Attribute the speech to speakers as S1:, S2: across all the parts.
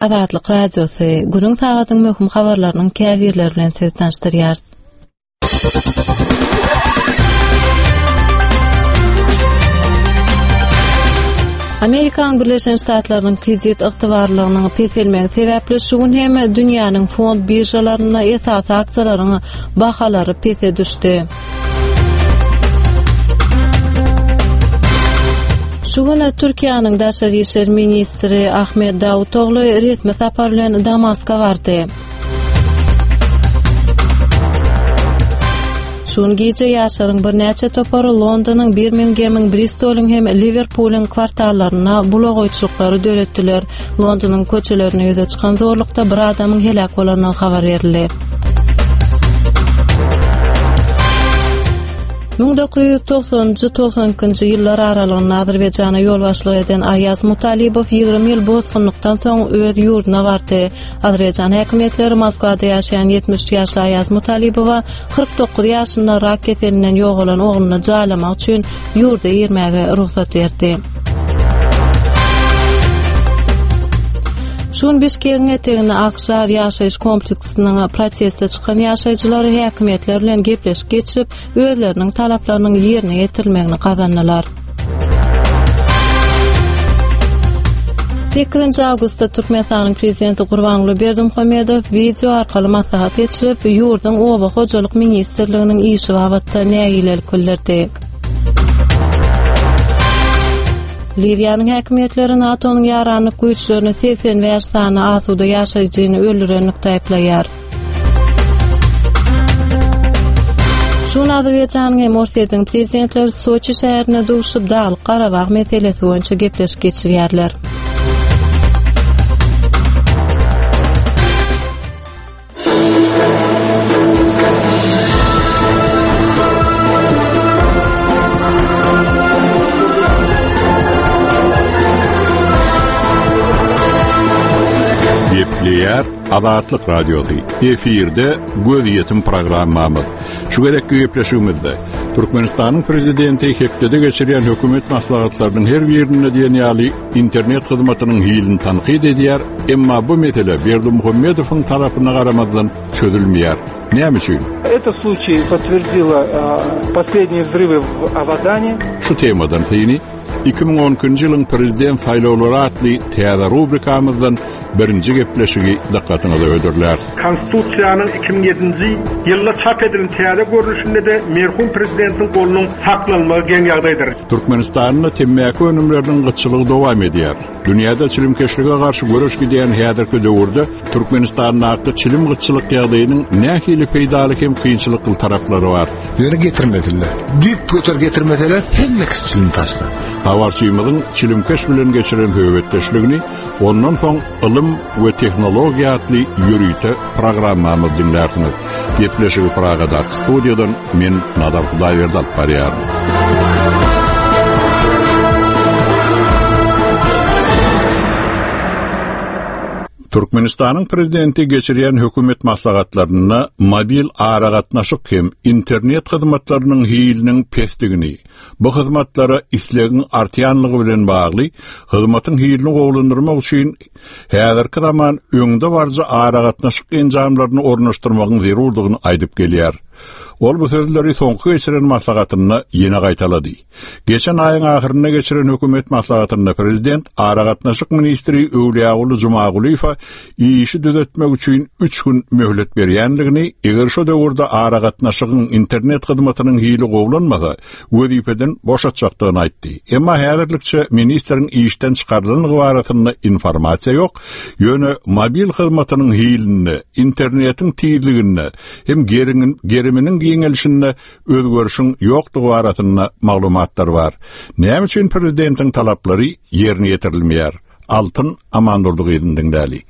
S1: Azatlyk Radiosy, Günüň sagadyň möhüm habarlarynyň käbirleri bilen sizi tanyşdyrýarys. Amerikanyň Birleşen Ştatlarynyň kredit ygtybarlylygynyň peselmegi sebäpli şu gün hem dünýäniň fond biržalarynda esasy aksiýalaryň bahalary pese düşdi. Şu gün Türkiýäniň daşary işler ministri Ahmet Dawutogly resmi sapar bilen Damaska bardy. Şu gün gije ýaşlaryň birnäçe topary Londonyň, Birmingemiň, Bristolyň hem Liwerpulyň kwartallarynda bulagaýçylyklary döretdiler. Londonyň köçelerinde ýüze çykan zorlukda bir adamyň heläk bolandygy habar berildi. 1990-njy 92-nji ýyllar aralygynda Azerbaýjana ýolbaşçylyk eden Aýaz Mutalibow 20 ýyl bosgunlykdan soň öz ýurduna bardy. Azerbaýjan häkimiýetleri Moskwada ýaşaýan 73 ýaşly Aýaz Mutalibowa 49 ýaşynda rak keselinden ýogalan ogluny jaýlamak üçin ýurda girmäge rugsat berdi. Şu gün Bişkegiň eteginde Akžar ýaşaýyş kompleksiniň proteste çykan ýaşaýjylary häkimiýetler bilen gepleşik geçirip, özleriniň talaplarynyň ýerine ýetirilmegini gazandylar. 8 awgustda Türkmenistanyň Prezidenti Gurbanguly Berdimuhamedow wideo arkaly maslahat geçirip, ýurduň Oba hojalyk ministrliginiň işi babatda nägilelik bildirdi. Liwiýanyň häkimiýetleri NATO-nyň ýaranlyk güýçlerini 85 sany asuda ýaşaýjyny öldürenlikde aýyplaýar. Şu gün Azerbaýjanyň hem Orsýetiň prezidentleri Soçi şäherinde duşup, Daglyk Garabag meselesi boýunça gepleşik geçirýärler.
S2: Gepleýär Azatlyk Radiosy. Efirde gözýetim programmamyz. Şu gezekki gepleşigimizde Türkmenistanyň Prezidenti hepdede geçirýän hökümet maslahatlarynyň her birinde diýen ýaly internet hyzmatynyň hilini tankyt edýär, emma bu mesele Berdimuhamedowyň tarapyna garamazdan çözülmeýär. Näme üçin?
S3: Этот случай подтвердила последние взрывы в Авадане.
S2: Şu temadan syny 2012-nji ýylyň prezident saýlawlary atly täze rubrikamyzdan birinji gepleşigi dykgatyňyza hödürläris.
S4: Konstitusiýanyň 2007-nji ýylda çap edilen täze görnüşinde-de merhum prezidentiň golunyň saklanmagy geň ýagdaýdyr.
S2: Türkmenistanda temmäki önümleriniň gytçylygy dowam edýär. Dünýäde çilimkeşlige garşy göreş gidýän häzirki döwürde Türkmenistandaky çilim gytçylyk ýagdaýynyň nähili peýdaly hem kynçylykly taraplary bar?
S5: Ýöne getirmesinler. Düýp göter getirmeseler hemme kişi çilim taşlar.
S2: Habarçymyzyň çilimkeş bilen geçiren söhbetdeşligini ondan soň Ylym we tehnologiýa atly ýörite programmamyz diňlärsiňiz. Gepleşigi Pragadaky studiýadan men Nazar Hudaýberdi alyp barýaryn. Türkmenistanyň Prezidenti geçirýän hökümet maslahatlarynda mobil aragatnaşyk hem internet hyzmatlarynyň hiliniň pesdigini, bu hyzmatlara islegiň artýanlygy bilen bagly hyzmatyň hilini gowulandyrmak üçin häzirki zaman öňdebaryjy aragatnaşyk enjamlaryny ornaşdyrmagyň zerurdygyny aýdyp gelýär. Ol bu sözleri soňky geçiren maslahatynda ýene gaýtalady. Geçen aýyň ahyrynda geçiren hökümet maslahatynda prezident aragatnaşyk ministri Öwlüýaguly Jumagulyýewe işi düzetmek üçin üç gün möhlet berýändigini, eger şo döwürde aragatnaşygyň internet hyzmatynyň hili gowulanmasa, wezipeden boşatjakdygyny aýtdy. Emma häzirlikçe ministriň işden çykarylandygy barasynda informasiýa ýok, ýöne mobil hyzmatynyň hilinde, internetiň tizliginde hem geriminiň giňelişinde özgerişiň ýokdugy barasynda maglumatlar bar. Näme üçin prezidentiň talaplary ýerine ýetirilmeýär? Altyn Amandurdy gyzyny diňläli.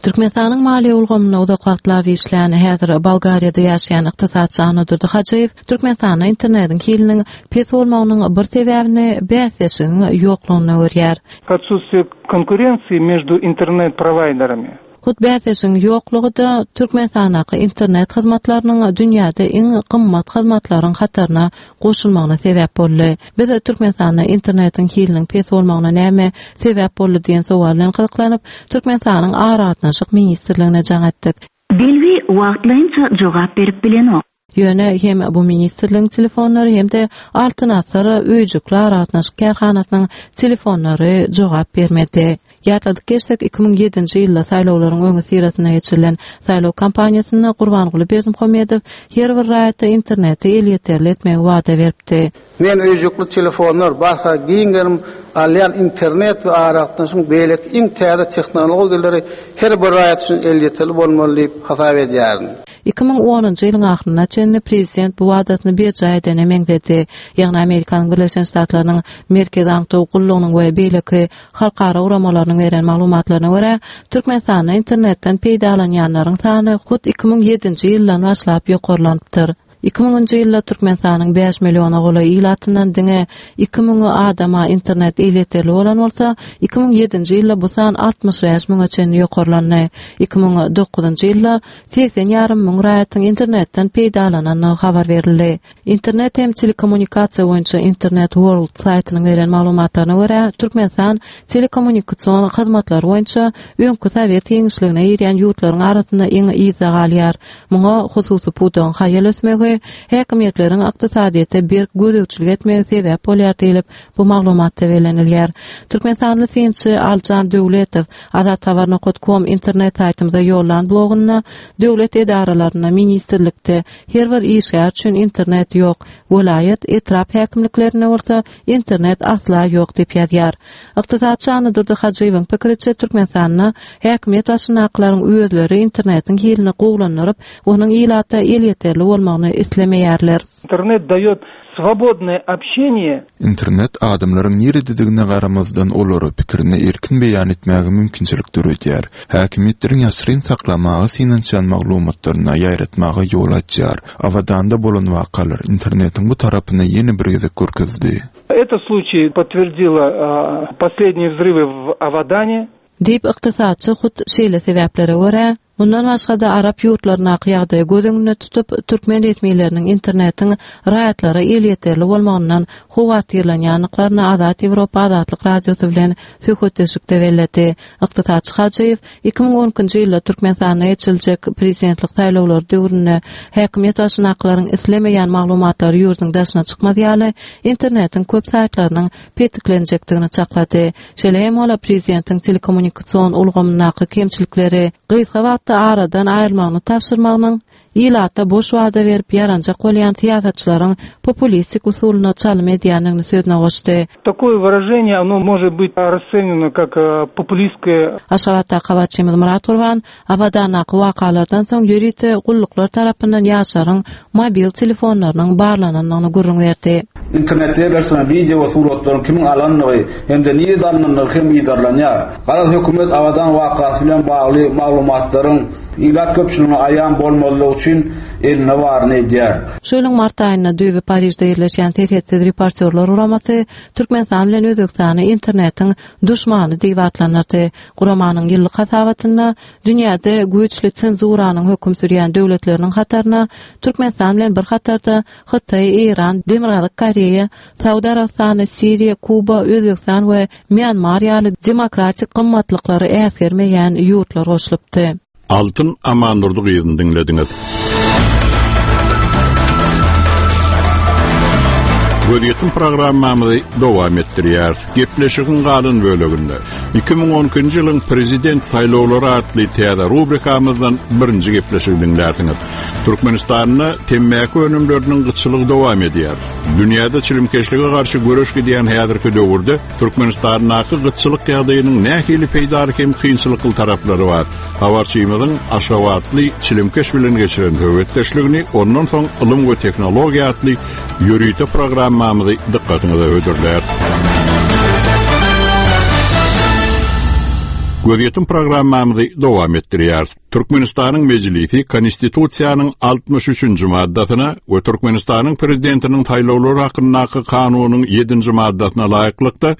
S1: Türkmenistanyň maliýe ulgamynda uzak wagtlap işlän, häzir Bolgariýada ýaşaýan ykdysatçy Annadurdy Hajyýew Türkmenistanda internetiň hiliniň pes bolmagynyň bir sebäbini bäsleşigiň ýoklugynda görýär.
S3: Отсутствие конкуренции между интернет-провайдерами.
S1: Hut bäsdeşiň ýoklugy-da Türkmenistandaky internet hyzmatlarynyň dünýäde iň gymmat hyzmatlaryň hataryna goşulmagyna sebäp boldy. Biz Türkmenistanda internetiň hiliniň pes bolmagyna näme sebäp boldy diýen sowal bilen gyzyklanyp, Türkmenistanyň Aragatnaşyk ministrligine jaň etdik.
S6: Belgi wagtlaýynça jogap berip bilenok.
S1: Ýöne hem bu ministrligiň telefonlary hem-de Altyn asyr öýjükli aragatnaşyk kärhanasynyň telefonlary jogap bermedi. Ýatladyk geçsek, 2007-nji ýylda saýlawlaryň öňüsyrasynda geçirilen saýlaw kampaniýasynda Gurbanguly Berdimuhamedow her bir raýata interneti elýeterli etmegi wada beripdi.
S7: Men öýjükli telefonlar, barha giň gerim alýan internet we aragatnaşygyň beýleki iň täze tehnologiýalary her bir raýat üçin elýeterli bolmaly diýip hasap edýärin.
S1: 2010-njy ýylyň ahyryna çenli prezident bu wadasyny berjaý edene meňzedi. Ýagny Amerikanyň Birleşen Ştatlarynyň Merkezi aňtaw gullugynyň we beýleki halkara guramalarynyň beren maglumatlaryna görä, Türkmenistanda internetden peýdalanýanlaryň sany hut 2007-nji ýyldan başlap ýokarlanypdyr. 2000-nji ýylda Türkmenistanyň bäş milliona golaý ilatyndan diňe iki müňi adama internet elýeterli bolan bolsa, 2007-nji ýylda bu san 65 müňe çenli ýokarlandy. 2009-njy ýylda 80 ýarym müň raýatyň internetden peýdalanandygy habar berildi. Internet hem telekommunikasiýa boýunça Internet World saýtynyň beren maglumatlaryna görä, Türkmenistan telekommunikasion hyzmatlary boýunça öňki sowet giňişligine girýän ýurtlaryň arasynda iň yzda galýar. Muňa hususy pudagyň haýal ösmegi, häkimiýetleriň ykdysadyýete berk gözegçilik etmegi sebäp bolýar diýlip, bu maglumatda bellenilýär. Türkmenistanly synçy Aljan Döwletow Azathabar nokat kom internet saýtymyza ýollan blogunda döwlet edaralarynda, ministrlikde her bir işgär üçin internet ýok, welaýat, etrap häkimliklerinde bolsa internet asla ýok diýip ýazýar. Ykdysatçy Annadurdy Hajyýewiň pikiriçe, Türkmenistanda häkimiýet başyndakylaryň özleri internetiň hilini gowulandyryp, onuň ilata elýeterli bolmagyny islemeýärler.
S3: Internet daýot swobodnoe obşeniýe.
S8: Internet adamlaryň nirededigine garamazdan olara pikirini erkin beýan etmäge mümkinçilik döredýär, häkimiýetleriň ýaşyryn saklamaga synanyşýan maglumatlaryny ýaýratmaga ýol açýar. Abadanda bolan wakalar internetiň bu tarapyny ýene bir gezek görkezdi.
S3: Этот случай подтвердило последние взрывы в Авадане.
S1: Diýip, ykdysatçy hut şeýle sebäplere görä, Mundan başga-da, arap ýurtlaryndaky ýagdaýy göz öňünde tutup, türkmen resmileriniň internetiň raýatlara elýeterli bolmagyndan howatyrlanýandyklaryny Azat Ýewropa Azatlyk Radiosy bilen söhbetdeşlikde belledi. Ykdysatçy Hajyýew 2012-nji ýylda Türkmenistanda geçiriljek prezidentlik saýlawlary döwründe häkimiýet başyndakylaryň islemeýän maglumatlary ýurduň daşyna çykmaz ýaly internetiň köp saýtlarynyň petiklenjekdigini çaklady. Şeýle hem ol prezidentiň telekommunikasion ulgamyndaky kemçilikleri gysga wagtda aradan aýyrmagyny tabşyrmagynyň ilata boş wada berip ýaranjak bolýan syýasatçylaryň populistik usulyna çalym edýändigini sözüne goşdy.
S3: Takoe wyraženiýe ono может być rasceneno kak populistskoe.
S1: Aşgabatdaky habarçymyz Myrat Gurban Abadandaky wakalardan soň ýörite gulluklar tarapyndan ýaşlaryň mobil telefonlarynyň barlanandygyny gürrüň berdi.
S9: Internetde ýerleşdirilen wideo we suratlaryň kimiň alandygy hem-de nirede alnandygy hem yzarlanýar. Garaz, hökümet Abadan wakasy bilen bagly maglumatlaryň ilat köpçüligine aýan bolmazlygy üçin elinde baryny edýär.
S1: Şu ýylyň mart aýynda düýbi Parižde ýerleşýän Serhetsiz reportýorlar guramasy Türkmenistan bilen Özbegistany internetiň duşmany diýip atlandyrdy. Guramanyň ýyllyk hasabatynda dünýäde güýçli senzuranyň höküm sürýän döwletleriniň hataryna Türkmenistan bilen bir hatarda Hytaý, Eýran, Demirgazyk Koreýa, Saud Arabystany, Siriýa, Kuba, Özbegistan we Mýanmar ýaly demokratik gymmatlyklary äsgermeýän ýurtlar goşulypdy.
S2: Altyn Amandurdy gyzyny diňlediňiz. Gözýetim programmamyzy dowam etdirýäris. Gepleşigiň galan böleginde 2012-nji ýylyň Prezident saýlawlary atly täze rubrikamyzdan birinji gepleşigi diňlärsiňiz. Türkmenistanda temmäki önümleriniň gytçylygy dowam edýär. Dünýäde çilimkeşlige garşy göreş gidýän häzirki döwürde Türkmenistandaky gytçylyk ýagdaýynyň nähili peýdaly hem kynçylykly taraplary bar? Habarçymyzyň aşgabatly çilimkeş bilen geçiren söhbetdeşligini, ondan soň Ylym we tehnologiýa atly ýörite programmamyzy dykgatyňyza hödürläris. Gözýetim programmamyzy dowam etdirýäris. Türkmenistanyň Mejlisi Konstitusiýanyň 63-nji maddasyna we Türkmenistanyň Prezidentiniň saýlawlary hakyndaky kanunyň 7-nji maddasyna laýyklykda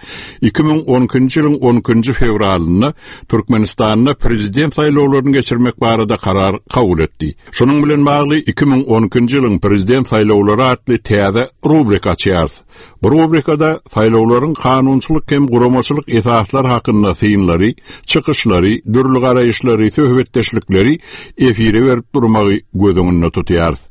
S2: 2012-nji ýylyň 12-nji fewralynda Türkmenistanda Prezident saýlawlaryny geçirmek barada karar kabul etdi. Şunuň bilen bagly 2012-nji ýylyň Prezident saýlawlary atly täze rubrika açýarys. Bu rubrikada saýlawlaryň kanunçylyk hem guramaçylyk esaslary hakynda synlary, çykyşlary, dürli garaýyşlary, söhbetdeşlikleri efire berip durmagy göz öňünde tutýarys.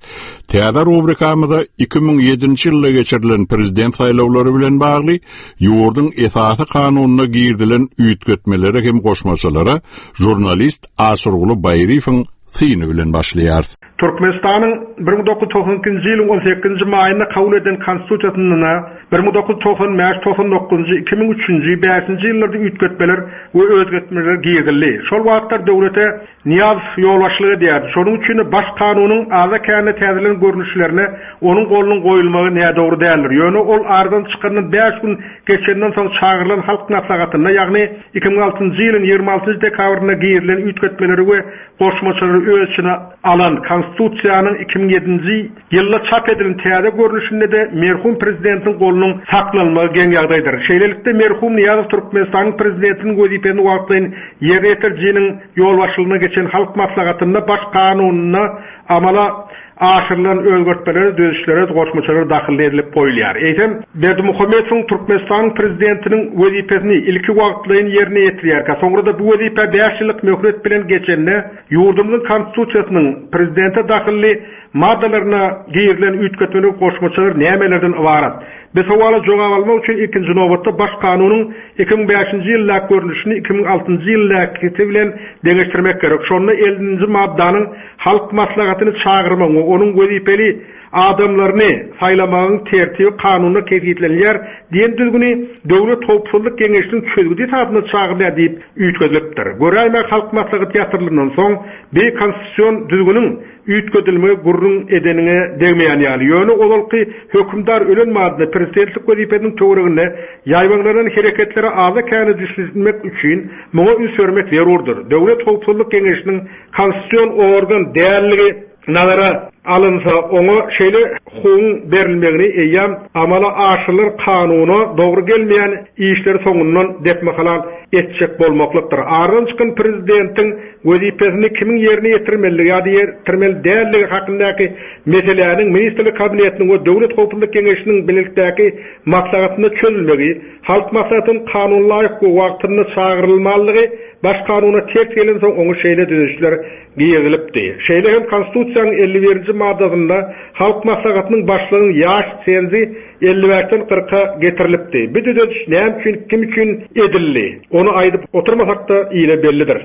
S2: Täze rubrikamyza 2007-nji ýylda geçirilen prezident saýlawlary bilen bagly ýurduň esasy kanunyna girizilen üýtgetmelere hem goşmaçalara žurnalist Aşyrguly Baýryýewiň syny bilen başlaýarys.
S4: Türkmenistanyň 1992-nji ýylyň on sekizinji maýynda kabul eden Konstitusiýasynda 1995, 99-njy, 2003-nji, bäşinji ýyllarda üýtgetmeler we özgertmeler girizildi. Şol wagtlar döwlete Nyýazow ýolbaşçylyk edýärdi. Şonuň üçin-de Baş kanunyň azda-kände täzelenen görnüşlerine onuň golunyň goýulmagy nädogry däldir. Ýöne ol aradan çykandan bäş gün geçenden soň çagyrylan Halk Maslahatynda, ýagny 2006-njy ýylyň 26-njy dekabrynda girizilen üýtgetmeleri we goşmaçalary öz içine alan Konstitusiýanyň 2007-nji ýylda çap edilen täze görnüşinde-de merhum prezidentiň golunyň saklanmagy geň ýagdaýdyr. Şeýlelikde, merhum Nyýazow Türkmenistanyň prezidentiniň wezipesini wagtlaýyn ýerine ýetirijiniň ýolbaşçylygynda geçen Halk Maslahatynda Baş Kanunynda amala aşyrylan özgertmelere, düzedişlere, goşmaçalara dahylly edilip goýulýar. Eýsem, Berdimuhamedowyň Türkmenistanyň Prezidentiniň wezipesini ilki wagtlaýyn ýerine ýetirýärkä, soňra-da bu wezipä bäş ýyllyk möhlet bilen geçende, ýurdumyzyň Konstitusiýasynyň Prezidente dahylly maddalaryna girizilen üýtgetmeler, goşmaçalar nämelerden ybarat? Bu sowala jogap almak üçin ilkinji nobatda Baş kanunyň 2005-nji ýyldaky görnüşini 2006-njy ýyldakysy bilen deňeşdirmek gerek. Şonda ellinji maddanyň Halk Maslahatyny çagyrmagyň we onuň wezipeli adamlaryny saýlamagyň tertibi kanunda kesgitlenilýär diýen düzgüni Döwlet howpsuzlyk geňeşiniň çözgüdi esasynda çagyrylýar diýip üýtgedilipdir. Göräýmäge Halk Maslahaty ýatyrylandan soň bi konstitusion düzgüniň üýtgedilmegi gürrüň edeniňe degmeýän ýaly. Ýöne ozalky hökümdar ölen madyna prezidentlik wezipesiniň töwereginde ýaýbaňlanan hereketlere azda-kände düşünmek üçin muňa üns bermek zerurdyr. Döwlet howpsuzlyk geňeşiniň konstitusion organ dälligi nazara alynsa, oňa şeýle hukugyň berilmegini eýýäm amala aşyrylan kanuna dogry gelmeýän işleri soňundan depme-halal etjek bolmaklykdyr. Aradan çykan prezidentiň wezipesini kimiň ýerine ýetirmelidigi ýa-da ýetirmeli däldigi hakyndaky meseläniň Ministrler Kabinetiniň we Döwlet howpsuzlyk geňeşiniň bilelikdäki maslahatynda çözülmegi, Halk Maslahatynyň kanunalaýyk we wagtynda çagyrylmalydygy Baş kanuna ters gelensoň oňa şeýle düzedişler girizilipdi. Şeýle hem Konstitusiýanyň 51-nji maddasynda Halk Maslahatynyň başlygynyň ýaş senzi 55-den kyrka getirilipdi. Bu düzediş näme üçin, kim üçin edildi? Ony aýdyp oturmasak-da ile bellidir.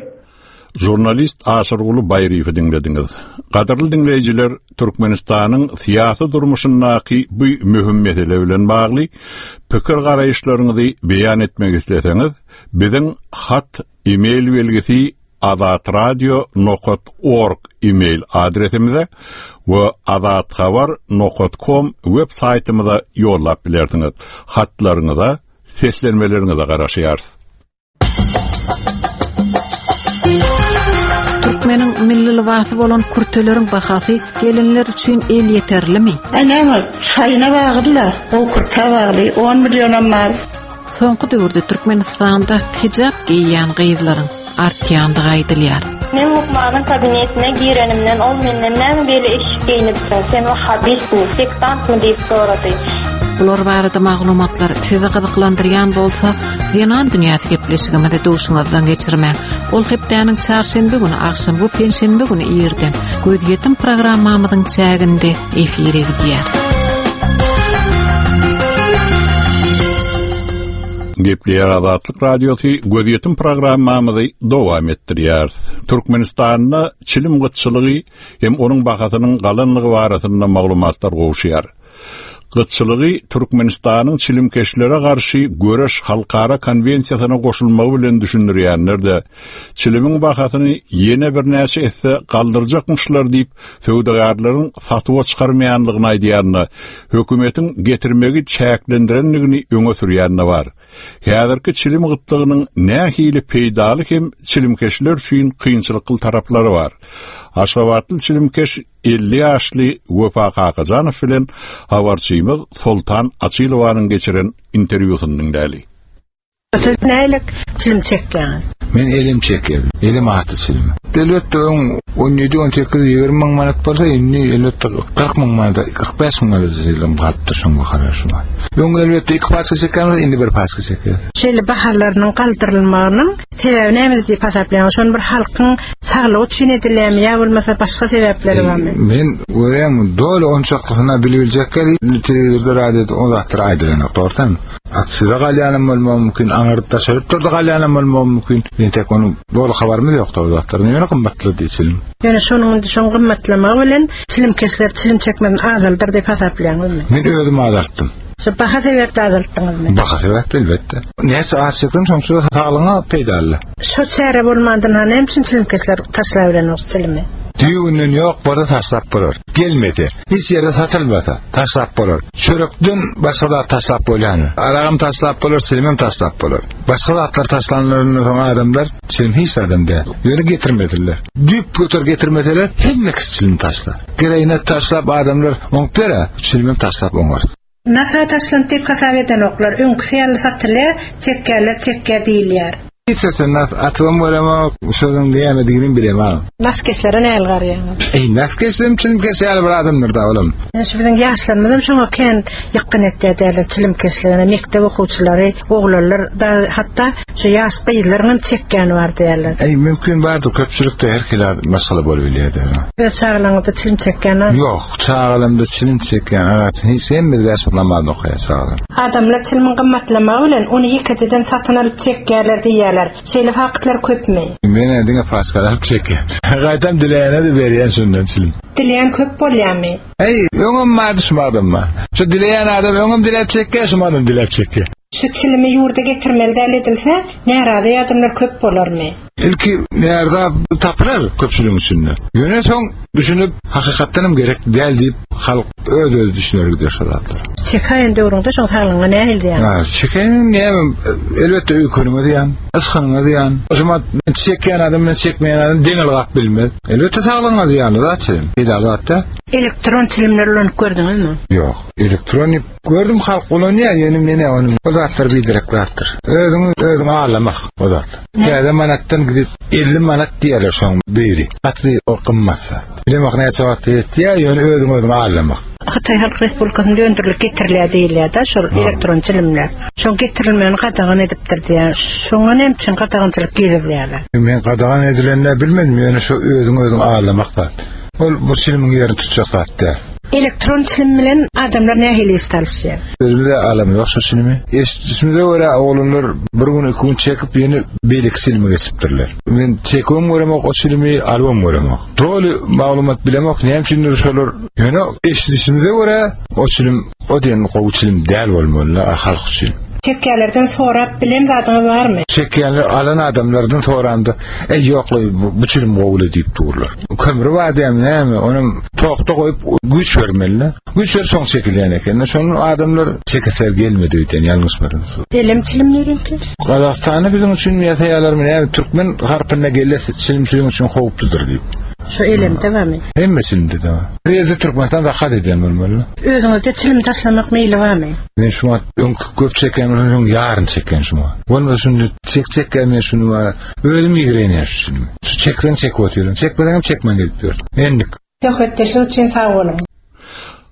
S2: Žurnalist Aşyrguly Baýryýewi diňlediňiz. Gadyrly diňleýjiler, Türkmenistanyň syýasy durmuşyndaky bu möhüm mesele bilen bagly pikir-garaýyşlaryňyzy beýan etmek isleseňiz, biziň hat e-mail belgisi azatradio nokat org e-mail adresimize we azathabar nokat kom web saýtymyza ýollap bilersiňiz. Hatlaryňyza, seslenmeleriňize garaşýarys.
S10: Türkmeniň milli lybasy bolan kürteleriň bahasy gelinler üçin elýeterlimi?
S11: Aý näme, şaýyna bagly-la, gowy kürtä bagly, on millionam bar.
S10: Soňky döwürde Türkmenistanda hijap geýýän gyzlaryň artýandygy aýdylýar.
S12: Men lukmanyň kabinetine girenimden ol menden näme beýle eşik geýnipsiň, sen wahhabistmi, sektantmy diýip sorady.
S10: Bular barada maglumatlar sizi gyzyklandyrýan bolsa, Zenan dünýäsi gepleşigimizi duşuňyzdan geçirmäň. Ol hepdäniň çarşenbe güni agşam we penşenbe güni irden Gözýetim programmamyzyň çäginde efire gidýär.
S2: Gepleýär Azatlyk Radiosy Gözýetim programmamyzy dowam etdirýär. Türkmenistanda çilim gytçylygy hem onuň bahasynyň galanlygy barasynda maglumatlar gowuşýar. Gytçylygy Türkmenistanyň çilimkeşlere garşy göreş halkara konwensiýasyna goşulmagy bilen düşündirýänler-de, çilimiň bahasyny ýene birnäçe esse galdyrjakmyşlar diýip, söwdagärleriň satuwa çykarmaýanlygyny aýdýan-da, hökümetiň getirmegi çäklendirendigini öňe sürýän-de bar. Häzirki çilim gytlygynyň nähili peýdaly hem çilimkeşler üçin kynçylykly taraplary bar? Aşgabatly çilimkeş 50 ýaşly Wepa Kakajanow bilen habarçymyz Soltan Açylowanyň geçiren interwýusyny diňläli.
S11: Siz nälik çilim çekýäňiz?
S5: Men elim çekýän. Elim atly çilim. Elbetde öň 17, 18, 20 müň manat bolsa, indi elbetde 40 müň manat, 45 müň manat çilim galypdyr şoň bahalar şu wagt. Öň elbetde iki paçka çekýän bolsa, indi bir paçka çekýär.
S11: Şeýle bahalarynyň galdyrylmagynyň sebäbi nämede diýip hasaplaýaňyz? Şony bir halkyň saglygy üçin edilýärmi ýa bolmasa başga sebäpleri barmy?
S5: Men görýän doly onçaklysyna bilibiljek telewizorda, radioda o zatlar aýdylanok, dogrudanmy? Aksize galýanam bolmagy mümkin, aňyrda daşary ýurtlarda galýanam bolmagy mümkin. Entek onuň doly habarymyz ýok o zatlardan. Ýöne gymmatly diýip çilim.
S11: Ýöne şonuň indi şoň gymmatlamagy bilen çilimkeşler çilim çekmesini azaldyr diýip hasaplaýaňyzmy?
S5: Men özüm azaltdym.
S11: Şu baha sebäpli azaltdyňyzmy?
S5: Baha sebäpli elbetde. Näçe az çekseň şonça saglygyňa peýdaly.
S11: Şo çäre bolmandan ha näme üçin çilimkeşler taşlabilenok çilimi?
S5: Düýbünden ýok bolsa taşlap bolar. Gelmese, hiç ýerde satylmasa, taşlap bolar. Çörekden başga zat taşlap bolýarmy? Aragam taşlap bolar, çilimem taşlap bolar. Başga zatlar taşlanlaryndan soň adamlar çilim hiç zadam däl. Ýöne getirmesinler. Düýp göter getirmeseler, hemme kişi çilim taşlar. Geregine taşlap adamlar oňup ber-ä, çilimem taşlap oňar.
S11: Nasa taşlandy diýip hasap edenoklar. Öňküsi ýaly satylýar, çekýärler çekýär diýilýär.
S5: Hiç haçan nas atybam göremok, şonuň nämediginem bilemok.
S11: Naskeşlere nähili garaýaňyz?
S5: Eý, naskeşem çilimkeş ýaly bir adamdyr-da olam.
S11: Ine şu biziň ýaşlarymyzam şoňa kän ýykgyn etýär diýerler, çilimkeşligine, mekdep okuwçylary, oglanlar dagy hatda şu ýaş gyzlaryňam çekýäni bar diýerler.
S5: Eý, mümkin bardyr, köpçülikde her hili maşgala bolubilýär-dä.
S11: Öz çagalaryňyzda çilim çekýän bar?
S5: Ýok, çagalarymda çilim çekýän adatym hiç, hemme bäş wagt namazyny okaýar çagalarym.
S11: Adamlar çilimiň gymmatlamagy bilen ony ýekejeden satyn alyp çekýärler diýýärler. Şeýle faktlar köpmi?
S5: Men-ä diňe paçkany alyp çekýän. Gaýtam dileýäne-de berýän şondan çilim.
S11: Dileýän köp bolýarmy?
S5: Eý, öňem bardy, şumadam bar. Şu dileýän adam öňem diläp çekýär, şumadam diläp çekýär.
S11: Şu çilimi ýurda getirmeli däl edilse, närazy adamlar köp bolarmy?
S5: Ilki närza tapylar köpçüligiň içinde. Ýöne soň düşünip, hakykatdan hem gerek däl diýip, halk öz-özi düşüner gider şo zatlara.
S11: Çekäýen döwrüňde şoň saglygyňa nähili zyýan?
S5: Ha, çekäýen näme, elbetde öýkeniňe zyýan, ysgynyňa zyýan. O zaman çekýän adam bilen çekmeýän adam deň ylgap bilmez. Elbetde saglygyňa zyýanly zat çilim. Peýdaly zat däl.
S11: Elektron çilimleri ulanyp gördüňizmi?
S5: Ýok. Elektron diýip gördüm halk ulanýar, ýöne men-ä ony o zatlar biderek zatdyr. Özüňi özüň aldamak o zat. Täze manatdan gidip 50 manat diýerler şoň biri. Gaty o gymmat zat. Bilemok näçe wagtda ýetýär, ýöne özüňi özüň aldamak.
S11: Hytaý Halk Respublikasynda öndürilip getirilýär diýilýär-de şol elektron çilimler. Şoň getirilmegini gadagan edipdir diýýär. Şoňa näme üçin gadagançylyk girizýärler?
S5: Men gadagan edilenini bilmedim, ýöne şo özüňi özüň aldamak zat. Ol bu çilimiň ýerini tutjak zat däl.
S11: Elektron çilim bilen adamlar nähili iş salyşýar?
S5: Özümiz-de alamyzok şo çilimi. Eşidişimize görä oglanlar bir gün, iki gün çekip ýene beýleki çilime geçipdirler. Men çekibem göremok o çilimi, alybam göremok. Doly maglumat bilemok näme üçindir şolar. Ýöne eşidişimize görä o çilim o diýen gowy çilim däl bolmaly halk üçin.
S11: Çekýänlerden sorap bilen zadyňyz barmy?
S5: Çekýänler alan adamlardan soramda, Eý ýokla bu çilim gowuly diýip durlar. Kömri bar diýýärmi näme, onam tokda goýup güýç bermeli. Güýç berip soň çekilýän eken. Şonun adamlar çekeser gelmedi öýdýän ýalňyşmasam.
S11: Elem çilim nireki?
S5: Gazagystanda biziň üçin ýasaýarlarmy näme türkmen harpynda gelle çilim siziň üçin howpludyr diýip.
S11: Şu elemde barmy?
S5: Hemme çilimde de bar. Bir ýerde Türkmenistan zakat edýän bolmaly.
S11: Özüňizde çilim taşlamak meýli barmy?
S5: Men şu wagt öňki köp çekýän bolsam şoň ýaryny çekýän şu wagt. Bolmasa şuny çek çekýän men şuny bar. Özüm ýigrenýän şu çilimi. Şu çekseň çekip otyryn. Çekmeseňem çekmän gezip ýörün. Endik.
S11: Söhbetdeşlik üçin sag boluň.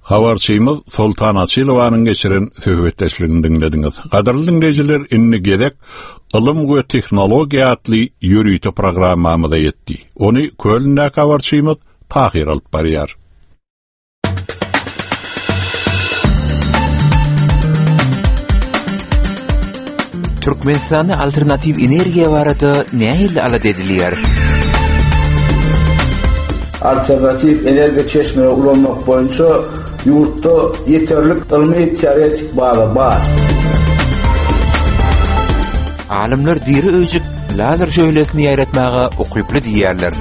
S2: Habarçymyz Soltan Açylowanyň geçiren söhbetdeşligini diňlediňiz. Gadyrly diňleýjiler, indi gezek Ylym we tehnologiýa atly ýörite programmamyza ýetdi. Ony Kölndäki habarçymyz Tahyr alyp barýar.
S13: Türkmenistanda alternatiw energiýa barada nähili alada edilýär?
S9: Alternatiw energiýa çeşmeleri ulanmak boýunça. ýurtda ýeterlik ylmy-teoretik baza bar.
S13: Alymlar diri öýjük lazer şöhlesini ýaýratmaga ukyply diýýärler.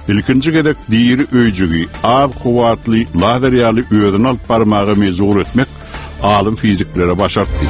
S2: Ilkinji gezek diri öýjügi az kuwwatly lazer ýaly özüni alyp barmaga mejbur etmek alym fiziklere başartdy.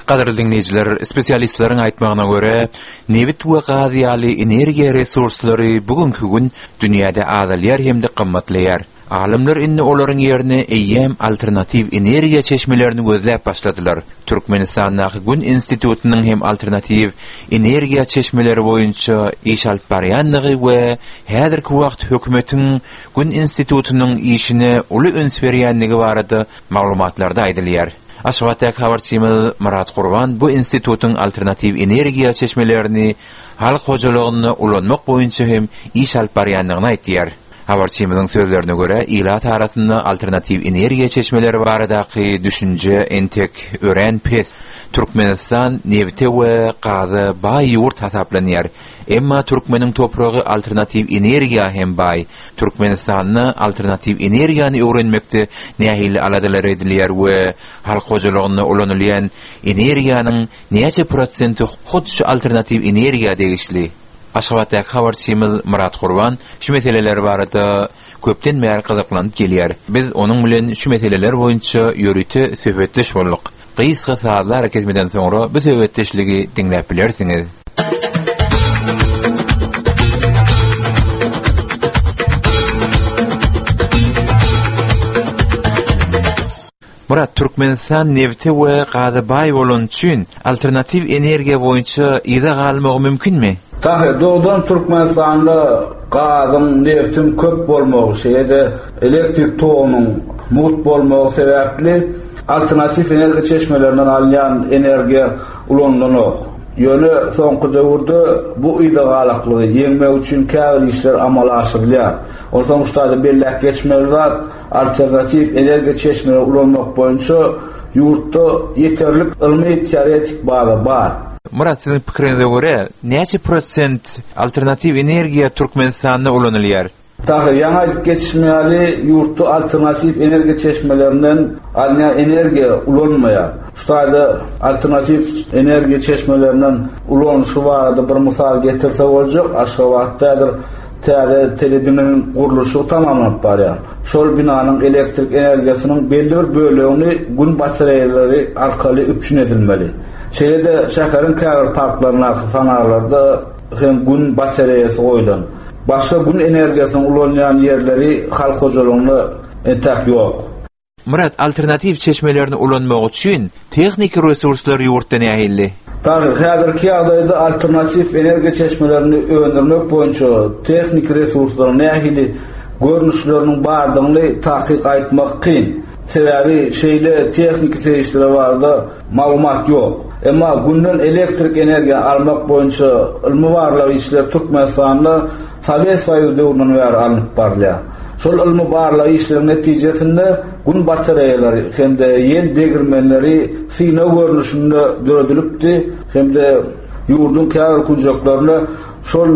S13: Gadyrly diňleýjiler, spesialistleriň aýtmagyna görä, nebit we gaz ýaly energiýa resurslary bu günki gün dünýäde azalýar hem-de gymmatlaýar. Alymlar indi olaryň ýerine eýýäm alternatiw energiýa çeşmelerini gözläp başladylar. Türkmenistandaky Gün institutynyň hem alternatiw energiýa çeşmeleri boýunça iş alyp barýandygy we häzirki wagt hökümetiň Gün institutynyň işine uly üns berýändigi barada maglumatlarda aýdylýar. Aşgabatdaky habarçymyz Myrat Gurban bu institutyň alternatiw energiýa çeşmelerini halk hojalygynda ulanmak boýunça hem iş alyp barýandygyny aýtýar. Habarçymyzyň sözlerine görä, ilat arasynda alternatiw energiýa çeşmeleri baradaky düşünje entek örän pes. Türkmenistan nebite we gaza baý ýurt hasaplanýar. Emma türkmeniň topragy alternatiw energiýa hem baý. Türkmenistanda alternatiw energiýany öwrenmekde nähili aladalar edilýär we halk hojalygynda ulanylýan energiýanyň näçe prosenti hut şu alternatiw energiýa degişli? Aşgabatdaky habarçymyz Myrat Gurban şu meseleler barada köpden bäri gyzyklanyp gelýär. Biz onuň bilen şu meseleler boýunça ýörite söhbetdeş bolduk. Gysga sazly arakesmeden soňra bu söhbetdeşligi diňläp bilersiňiz. Myrat, Türkmenistan nebite we gaza baý bolany üçin alternatiw energiýa boýunça yza galmagy mümkinmi?
S9: Tahyr, dogrudan Türkmenistanda gazyň, nebtiň köp bolmagy, şeýle-de elektrik togunyň mugt bolmagy sebäpli alternatiw energiýa çeşmelerinden alynýan energiýa ulanylanok. Ýöne soňky döwürde bu yza galaklygy ýeňmek üçin käbir işler amala aşyrylýar. Onsoň şu taýda belläp geçmeli zat, Alternatiw energiýa çeşmeleri ulanmak boýunça ýurtda ýeterlik ylmy-teoretik baza bar.
S13: Myrat, siziň pikiriňize görä, näçe prosent alternatiw energiýa Türkmenistanda ulanylýar?
S9: Tahyr, ýaňy aýdyp geçişim ýaly, ýurtda alternatiw energiýa çeşmelerinden alynýan energiýa ulanylmaýar. Şu taýda alternatiw energiýa çeşmelerinden ulanyşy barada bir mysal getirse boljak, Aşgabatda häzir Täze telediňiň gurluşygy tamamlanyp barýar. Şol binanyň elektrik energiýasynyň belli bir bölegini Gün batareýalary arkaly üpjün edilmeli. Şeýle-de şäheriň käbir parklaryndaky fonarlarda hem Gün batareýasy goýlan. Başga Gün energiýasyny ulanýan ýerleri halk hojalygynda entäk ýok.
S13: Myrat, alternatiw çeşmelerini ulanmak üçin tehniki resurslar ýurtda nähili?
S9: Tahyr, häzirki ýagdaýda alternatiw energiýa çeşmelerini öndürmek boýunça tehniki resurslaryň nähili görnüşleriniň bardygyny takyk aýtmak kyn. Sebäbi şeýle tehniki serişdeler barada maglumat ýok. Emma Günden elektrik energiýany almak boýunça ylmy-barlag işleri Türkmenistanda Sowet Soýuzy döwründen bäri alnyp barylýar. Şol ylmy-barlag işleriň netijesinde Gün batareýalary hem-de ýel degirmenleri synag görnüşinde döredilipdi hem-de ýurduň käbir künjeklerinde şol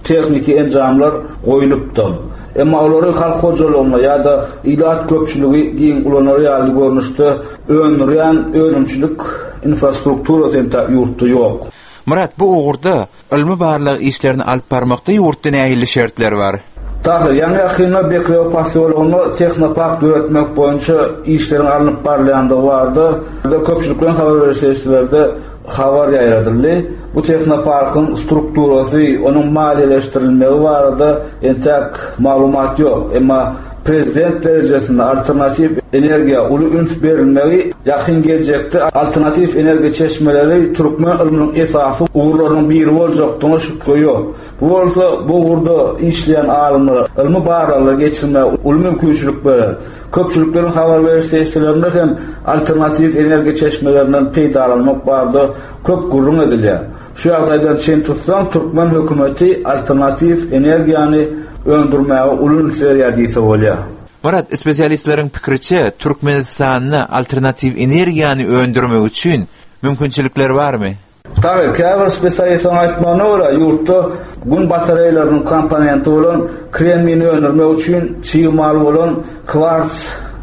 S9: tehniki enjamlar goýlupdy. Emma olary halk hojalygynda ýa-da ilat köpçüligi giň ulanar ýaly görnüşde öndürýän önümçilik infrastrukturasy entäk ýurtda ýok.
S13: Myrat, bu ugurda Ylmy-barlag işlerini alyp barmakda ýurtda nähili şertler bar?
S9: Tahyr, ýaňy-ýakynda Bekrewe posýologynda tehnopark döretmek boýunça işleriň alnyp barylýandygy barada köpçülikleýin habar beriş serişdelerde habar ýaýradyldy. Bu tehnoparkyň strukturasy, onuň maliýeleşdirilmegi barada entäk maglumat ýok. Emma Prezident derejesinde alternatiw energiýa uly üns berilmegi ýakyn geljekde alternatiw energiýa çeşmeleri türkmen ylmynyň esasy ugurlarynyň biri boljakdygyna şübhe ýok. Bu bolsa bu ugurda işleýän alymlara ylmy barlaglar geçirmäge uly mümkinçilik berer. Köpçülikleýin habar beriş serişdelerinde hem alternatiw energiýa çeşmelerinden peýdalanmak barada köp gürrüň edilýär. Şu ýagdaýdan çen tutsaň, türkmen hökümeti alternatiw energiýany öndürmäge uly üns berýär diýse bolýar.
S13: Myrat, spesialistleriň pikiriçe, Türkmenistanda alternatiw energiýany öndürmek üçin mümkinçilikler barmy?
S9: Dagy, käbir spesialistleriň aýtmagyna görä, ýurtda Gün batareýalarynyň komponenti bolan kremnini öndürmek üçin çig mal bolan kwars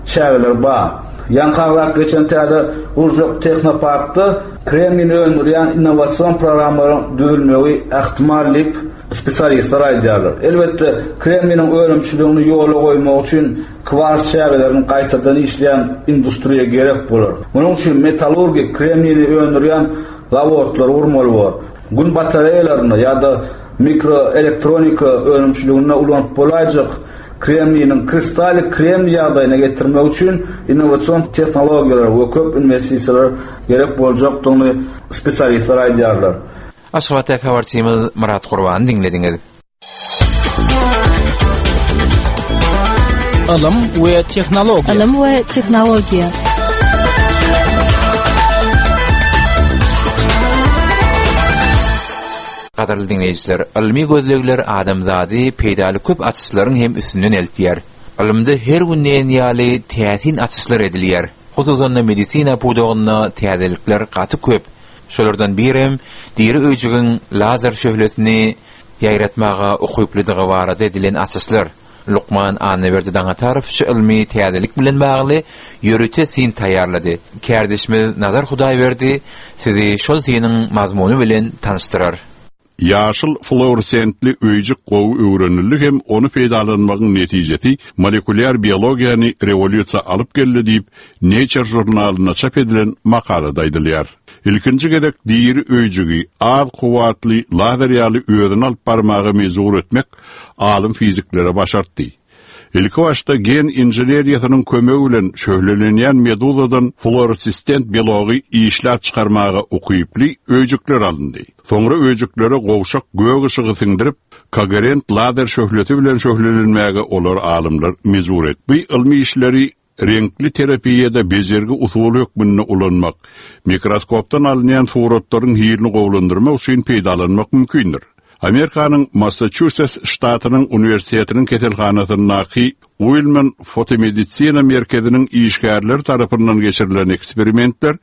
S9: çägeleri bar. Ýaňky agzap geçen täze gurjak tehnoparkda kremnini öndürýän innowasion programmalaryň düzülmegi ähtimal diýip, spesialistler aýdýarlar. Elbetde, kremniniň önümçiligini ýola goýmak üçin kwars çägelerini gaýtadan işleýän industriýa gerek bolar. Munuň üçin metallurgik kremnini öndürýän zawodlary gurmaly bor. Gün batareýalarynda ýa-da mikroelektronika önümçiliginde ulanyp bolaýjak kremniniň kristallik kremniý ýagdaýyna getirmek üçin innowasion tehnologiýalar we köp inwestisiýalar gerek boljakdygyny spesialistler aýdýarlar.
S13: Aşgabatdaky habarçymyz Myrat Gurbany diňlediňiz.
S14: Ylym we tehnologiýa.
S1: Ylym we tehnologiýa.
S13: Gadyrly diňleýjiler, ylmy gözlegler adamzady peýdaly köp açyşlaryň hem üstünden eltýär. Ylymda her gün diýen ýaly täsin açyşlar edilýär. Hususan-da medisina pudagynda täzelikler gaty köp. Şolardan birem diri öýjügiň lazer şöhlesini ýaýratmaga ukyplydygy barada edilen açyşlar. Lukman Annaberdi Daňatarow şu ylmy täzelik bilen bagly ýörite syn taýýarlady. Kärdeşimiz Nazar Hudaýberdi sizi şol synyň mazmuny bilen tanyşdyrar.
S2: Ýaşyl fluoresentli öýjük gowy öwrenildi hem ony peýdalanmagyň netijesi molekulýar biologiýany rewolýusiýa alyp geldi diýip, Nature žurnalynda çap edilen makalada aýdylýar. Ilkinji gezek diri öýjügi az kuwwatly lazer ýaly özüni alyp barmaga mejbur etmek alym fiziklere başartdy. Ilkibaşda gen inženeriýasynyň kömegi bilen şöhlelenýän meduzadan fluoresistent belogy işläp çykarmaga ukyply öýjükler alyndy. Soňra öýjüklere gowşak gök yşygy siňdirip, kogerent lazer şöhlesi bilen şöhlelenmäge olary alymlar mejbur etdi. Bu ylmy işleri reňkli terapiýada bejergi usuly hökmünde ulanmak, mikroskopdan alynýan suratlaryň hilini gowulandyrmak üçin peýdalanmak mümkindir. Amerikanyň Massaçusets ştatynyň uniwersitetiniň keselhanasyndaky Uilman fotomedisina merkeziniň işgärleri tarapyndan geçirilen eksperimentler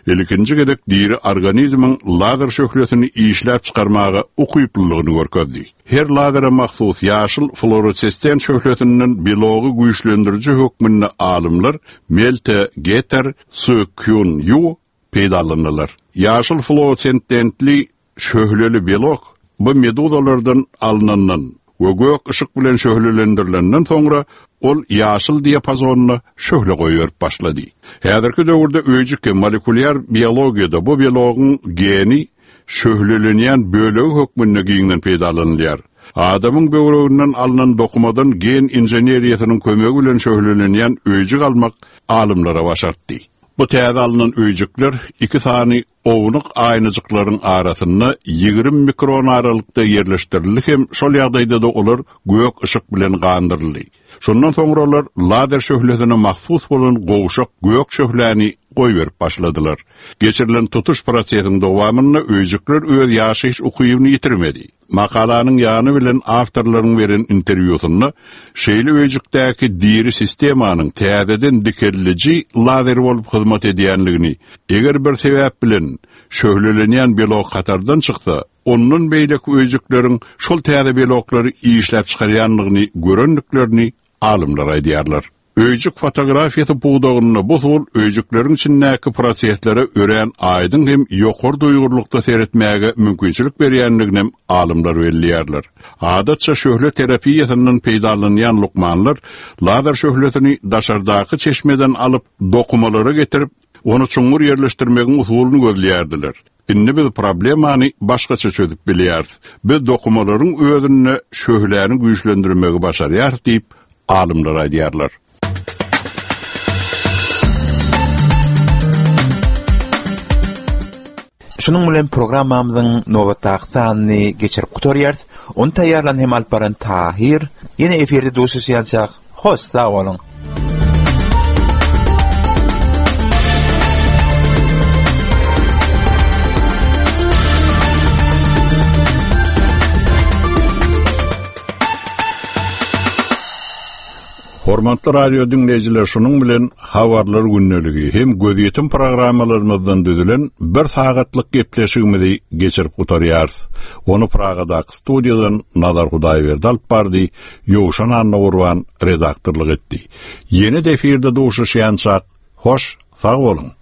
S2: ilkinji gezek diri organizmiň lazer şöhlesini işläp çykarmaga ukyplylygyny görkezdi. Her lazere mahsus ýaşyl fluoresestent şöhlesinden belogy güýçlendiriji hökmünde alymlar Melte Geter, Su Kyun Ýu peýdalandylar. Ýaşyl fluoresententli şöhleli belok bu meduzalardan alnandan we gök yşyk bilen şöhlelendirilenden soňra ol ýaşyl diapazonda şöhle goýberip başlady. Häzirki döwürde öýjük hem molekulýar biologiýada bu belogyň geni şöhlelenýän bölegi hökmünde giňden peýdalanylýar. Adamyň böwreginden alnan dokumadan gen inženeriýasynyň kömegi bilen şöhlelenýän öýjük almak alymlara başartdy. Bu täze alnan öýjükler iki sany ownuk aýnajyklaryň arasynda 20 mikron aralykda ýerleşdirildi hem şol ýagdaýda-da olar gök yşyk bilen gandyryldy. Şondan soňra olar lazer şöhlesine mahsus bolan gowşak gök şöhläni goýberip başladylar. Geçirilen tutuş prosesiň dowamynda öýjükler öz ýaşaýyş ukybyny ýitirmedi. Makalanyň ýany bilen awtorlaryň beren interwýusynda şeýle öýjükdäki diri sistemanyň täzeden dikeldiji lazer bolup hyzmat edýänligini, eger bir sebäp bilen şöhlelenýän belok hatardan çyksa, ondan beýleki öýjükleriň şol täze beloklary işläp çykarýandygyny görendiklerini alymlar aýdýarlar. Öýjük fotografiýasy pudagynda bu usul öýjükleriň içindäki proseslere örän aýdyň hem ýokary duýgurlykda seretmäge mümkinçilik berýändiginem alymlar belleýärler. Adatça şöhle terapiýasyndan peýdalanýan lukmanlar lazer şöhlesini daşardaky çeşmeden alyp, dokumalara getirip, ony çuňňur ýerleşdirmegiň usulyny gözleýärdiler. Indi biz problemany başgaça çözüp bilýäris. Biz dokumalaryň özünde şöhläni güýçlendirmegi başarýarys diýip, alymlar aýdýarlar.
S13: Şunuň bilen programmamyzyň nobatdaky sanyny geçirip gutarýarys. Ony taýýarlan hem alyp baran Tahyr. Ýene efirde duşuşýançak, hoş sag boluň!
S2: Hormatly radio diňleýjiler, şunuň bilen Habarlar gündeligi hem gözýetim programmalarymyzdan düzülen bir sagatlyk gepleşigimizi geçirip gutarýarys. Ony Pragadaky studiýadan Nazar Hudaýberdi alyp bardy, Ýowşan Annagurban redaktorlyk etdi. Ýene-de efirde duşuşýançak, hoş, sag boluň!